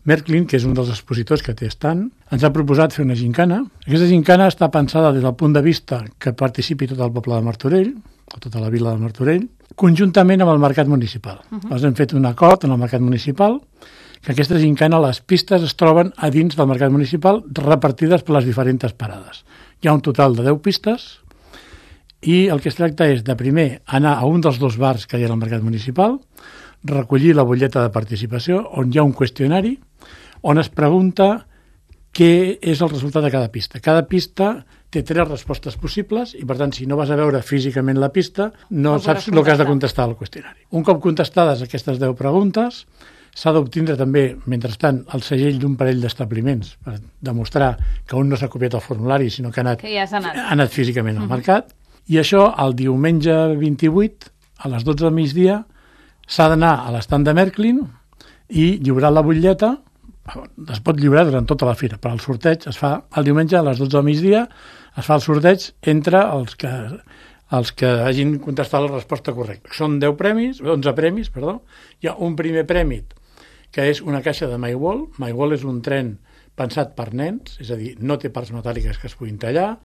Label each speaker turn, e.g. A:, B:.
A: Merklin, que és un dels expositors que té estant, ens ha proposat fer una gincana. Aquesta gincana està pensada des del punt de vista que participi tot el poble de Martorell, o tota la vila de Martorell, conjuntament amb el mercat municipal. Llavors hem fet un acord en el mercat municipal que aquesta gincana, les pistes es troben a dins del mercat municipal repartides per les diferents parades. Hi ha un total de 10 pistes i el que es tracta és de primer anar a un dels 2 bars que hi ha al mercat municipal, recollir la butlleta de participació on hi ha un qüestionari on es pregunta què és el resultat de cada pista. Cada pista té 3 respostes possibles i, per tant, si no vas a veure físicament la pista, no saps el que has de contestar al qüestionari. Un cop contestades aquestes 10 preguntes, s'ha d'obtindre també, mentrestant, el segell d'un parell d'establiments per demostrar que un no s'ha copiat el formulari, sinó que ha anat físicament al mercat. I això, el diumenge 28, a les 12 del migdia, s'ha d'anar a l'estand de Merklin i lliurar la butlleta. Es pot lliurar durant tota la fira, però el sorteig es fa el diumenge a les 12 del migdia, es fa el sorteig entre els que hagin contestat la resposta correcta. Són 11 premis. Hi ha un primer premi que és una caixa de MyWall. MyWall és un tren pensat per nens, és a dir, no té parts metàl·liques que es puguin tallar,